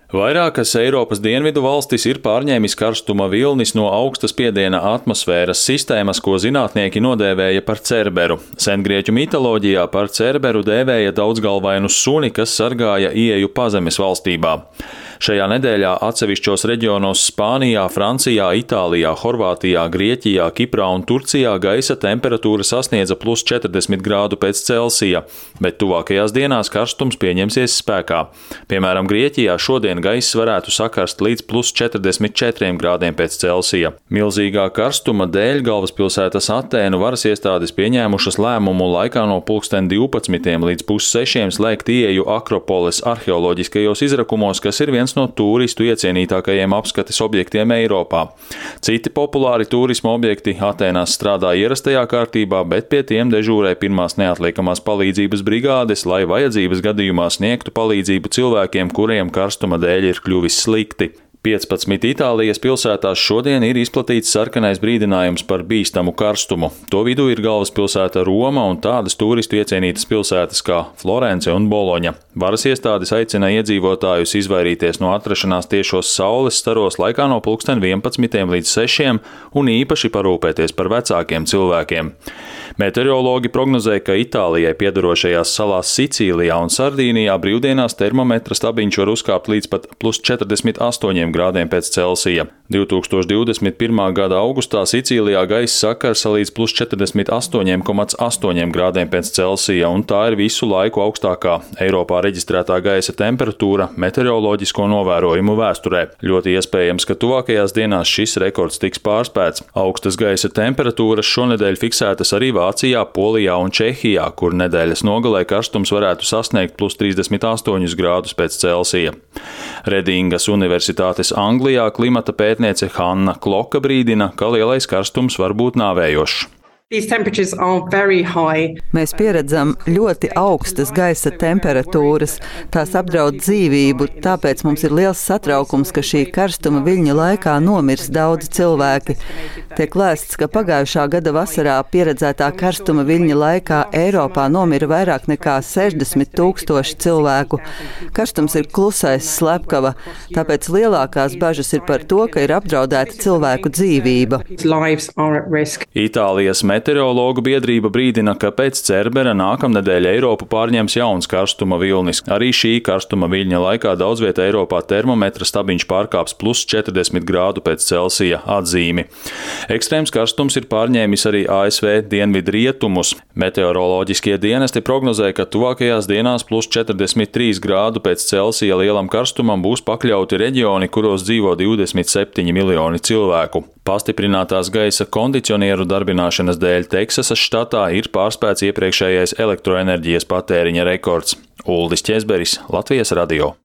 Vairākas Eiropas dienvidu valstis ir pārņēmis karstuma vilnis no augsta spiediena atmosfēras sistēmas, ko zinātnieki nodēvēja par cerberu. Sengrieķu mitoloģijā par cerberu dēvēja daudzgalvainu suni, kas sargāja ieeju pazemes valstībā. Šajā nedēļā atsevišķos reģionos Spānijā, Francijā, Itālijā, Horvātijā, Grieķijā, Kiprā un Turcijā gaisa temperatūra sasniedza plus 40 grādu pēc Celsija, bet tuvākajās dienās karstums pieņemsies spēkā. Piemēram, Grieķijā šodien gaiss varētu sakarst līdz plus 44 grādiem pēc Celsija. Milzīgā karstuma dēļ galvaspilsētas Atēnu varas iestādes pieņēmušas lēmumu laikā no 12:12 līdz 5:30 slēgt ieeju Akropoles arheoloģiskajos izrakumos, kas ir viens no turistu iecienītākajiem apskates objektiem Eiropā. Citi populāri turisma objekti Atēnās strādā ierastajā kārtībā, bet pie tiem dežūrē pirmās neatliekamās palīdzības brigādes, lai vajadzības gadījumā sniegtu palīdzību cilvēkiem, kuriem karstuma dēļ ir kļuvis slikti. 15 Itālijas pilsētās šodien ir izplatīts sarkanais brīdinājums par bīstamu karstumu. To vidū ir galvaspilsēta Roma un tādas turistu iecienītas pilsētas kā Florence un Boloņa. Varas iestādes aicina iedzīvotājus izvairīties no atrašanās tiešos saules staros laikā no 11 līdz 6 un īpaši parūpēties par vecākiem cilvēkiem. Meteorologi prognozē, ka Itālijai piedarošajās salās Sicīlijā un Sardīnijā brīvdienās termometra stabiņš var uzkāpt līdz pat plus 48 grādiem pēc Celsija. 2021. gada augustā Sicīlijā gaisa sakarsa līdz plus 48,8 grādiem pēc Celsija, un tā ir visu laiku augstākā Eiropā reģistrētā gaisa temperatūra meteoroloģisko novērojumu vēsturē. Ļoti iespējams, ka tuvākajās dienās šis rekords tiks pārspēts. Augstas gaisa temperatūras šonedēļ fiksētas arī Vācijā, Polijā un Čehijā, kur nedēļas nogalē karstums varētu sasniegt plus 38 grādus pēc Celsija. Redingas Universitātes Anglijā klimata pētniece Hanna Kloka brīdina, ka lielais karstums var būt nāvējošs. Mēs pieredzam ļoti augstas gaisa temperatūras, tās apdraud dzīvību, tāpēc mums ir liels satraukums, ka šī karstuma viļņa laikā nomirs daudzi cilvēki. Tiek lēsts, ka pagājušā gada vasarā pieredzētā karstuma viļņa laikā Eiropā nomira vairāk nekā 60 000 cilvēku. Karstums ir klusais slepkava, tāpēc lielākās bažas ir par to, ka ir apdraudēta cilvēku dzīvība. Itālijas meteorologu biedrība brīdina, ka pēc cerbera nākamnedēļ Eiropu pārņems jauns karstuma vilnis. Arī šī karstuma viļņa laikā daudz vietā Eiropā termometra stabiņš pārkāps plus 40 grādu pēc Celsija atzīmi. Ekstrēms karstums ir pārņēmis arī ASV dienvidu rietumus. Meteoroloģiskie dienesti prognozē, ka tuvākajās dienās plus 43 grādu pēc Celsija lielam karstumam būs pakļauti reģioni, kuros dzīvo 27 miljoni cilvēku. Pastiprinātās gaisa kondicionieru darbināšanas dēļ Teksasas štatā ir pārspēts iepriekšējais elektroenerģijas patēriņa rekords. Uldis Ķezberis, Latvijas radio.